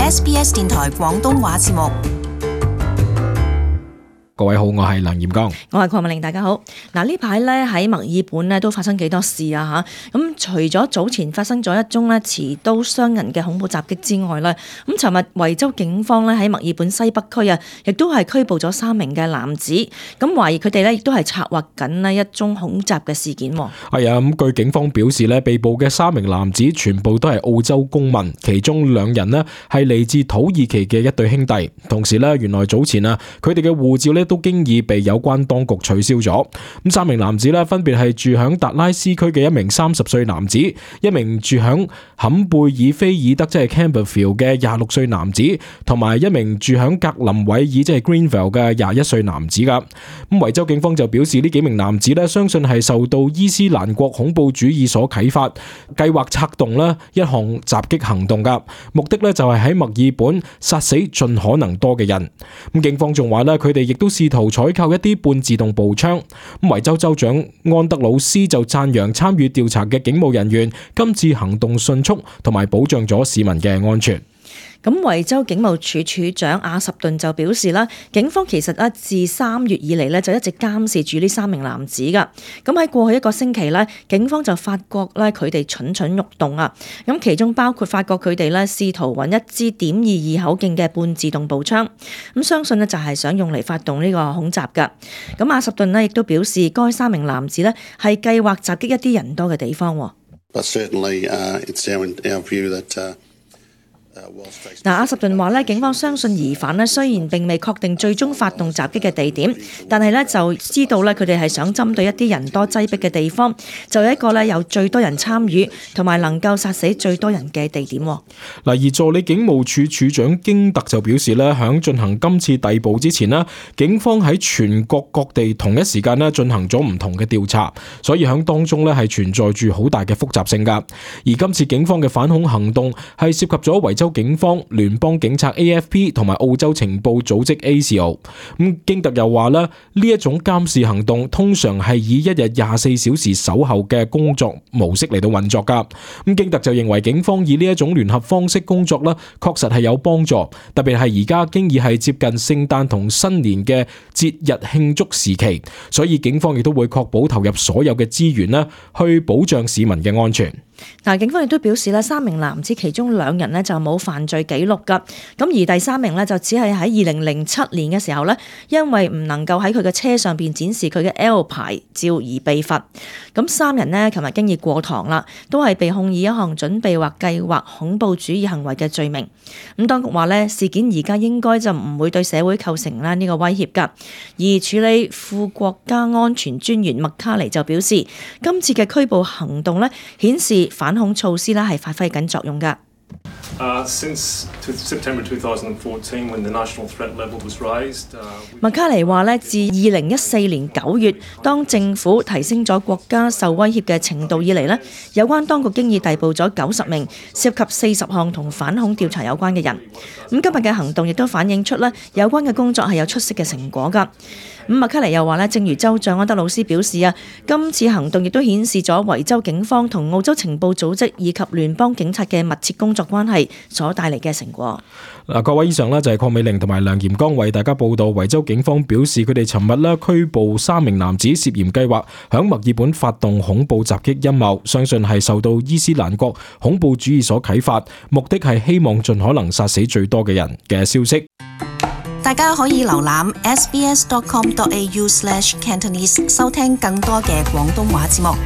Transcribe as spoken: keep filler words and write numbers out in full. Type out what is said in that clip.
S B S 電台廣東話節目。各位好，我係梁炎剛，我係鄺美玲，大家好。嗱，呢排咧喺墨爾本咧都發生幾多事啊吓，咁除咗早前發生咗一宗咧持刀傷人嘅恐怖襲擊之外咧，咁尋日維州警方咧喺墨爾本西北區啊，亦都係拘捕咗三名嘅男子，咁懷疑佢哋咧亦都係策劃緊咧一宗恐襲嘅事件。係啊，咁據警方表示咧，被捕嘅三名男子全部都係澳洲公民，其中兩人咧係嚟自土耳其嘅一對兄弟。同時咧，原來早前啊，佢哋嘅護照咧都經已被有關當局取消咗。咁三名男子咧分別係住響達拉斯區嘅一名三十歲男子，一名住響坎貝爾菲爾德即係 Campbellfield 嘅廿六歲男子，同埋一名住響格林韋爾即係 Greenville 嘅廿一歲男子噶。咁維州警方就表示呢幾名男子咧相信係受到伊斯蘭國恐怖主義所啟發，計劃策動咧一項襲擊行動噶，目的咧就係喺墨爾本殺死盡可能多嘅人。咁警方仲話咧，佢哋亦都試圖採購一啲半自動步槍。咁維州州長安德魯斯就讚揚參與調查嘅警務人員今次行動迅速，同埋保障咗市民嘅安全。咁維州警務處處長阿什頓就表示啦，警方其實咧自三月以嚟咧就一直監視住呢三名男子噶。咁喺過去一個星期咧，警方就發覺咧佢哋蠢蠢欲動啊。咁其中包括發覺佢哋咧試圖揾一支點二二口徑嘅半自動步槍，咁相信咧就係想用嚟發動呢個恐襲噶。咁阿什頓咧亦都表示，該三名男子咧係計劃襲擊一啲人多嘅地方。But certainly, uh, it's our, our view that, uh嗱，阿什頓話咧，警方相信疑犯咧雖然並未確定最終發動襲擊嘅地點，但係咧就知道咧佢哋係想針對一啲人多擠迫嘅地方，就有一個咧有最多人參與同埋能夠殺死最多人嘅地點。嗱，而助理警務處處長京特就表示咧，響進行今次逮捕之前咧，警方喺全國各地同一時間咧進行咗唔同嘅調查，所以響當中咧係存在住好大嘅複雜性噶。而今次警方嘅反恐行動係涉及咗維州警方、聯邦警察 A F P 同埋澳洲情報組織 A C O。咁京特又話咧，呢一種監視行動通常係以一日廿四小時守候嘅工作模式嚟到運作噶。咁京特就認為警方以呢一種聯合方式工作咧，確實係有幫助，特別係而家經已係接近聖誕同新年嘅節日慶祝時期，所以警方亦都會確保投入所有嘅資源咧，去保障市民嘅安全。嗱，警方亦都表示咧，三名男子其中兩人咧就冇犯罪記錄噶，咁而第三名咧就只係喺二零零七年嘅時候咧，因為唔能夠喺佢嘅車上邊展示佢嘅 L 牌照而被罰。咁三人呢，琴日經已過堂啦，都係被控以一項準備或計劃恐怖主義行為嘅罪名。咁當局話咧，事件而家應該就唔會對社會構成啦呢個威脅噶。而處理副國家安全專員麥卡尼就表示，今次嘅拘捕行動咧顯示反恐措施咧係發揮緊作用㗎。Uh, since September twenty fourteen, when the national threat level was raised, uh, 麥卡尼話咧，自二零一四年九月，當政府提升咗國家受威脅嘅程度以嚟咧，有關當局經已逮捕咗九十名涉及四十項同反恐調查有關嘅人。咁今日嘅行動亦都反映出咧，有關嘅工作係有出色嘅成果㗎。咁麥卡尼又話咧，正如州長安德魯斯表示啊，今次行動亦都顯示咗維州警方同澳洲情報組織以及聯邦警察嘅密切工作關係所帶嚟嘅成果。嗱，各位以上呢就係鄺美玲同埋梁炎剛為大家報道，維州警方表示佢哋尋日呢拘捕三名男子，涉嫌計劃響墨爾本發動恐怖襲擊陰謀，相信係受到伊斯蘭國恐怖主義所啟發，目的係希望盡可能殺死最多嘅人嘅消息。大家可以瀏覽 s b s dot com dot a u slash cantonese 收聽更多嘅廣東話節目。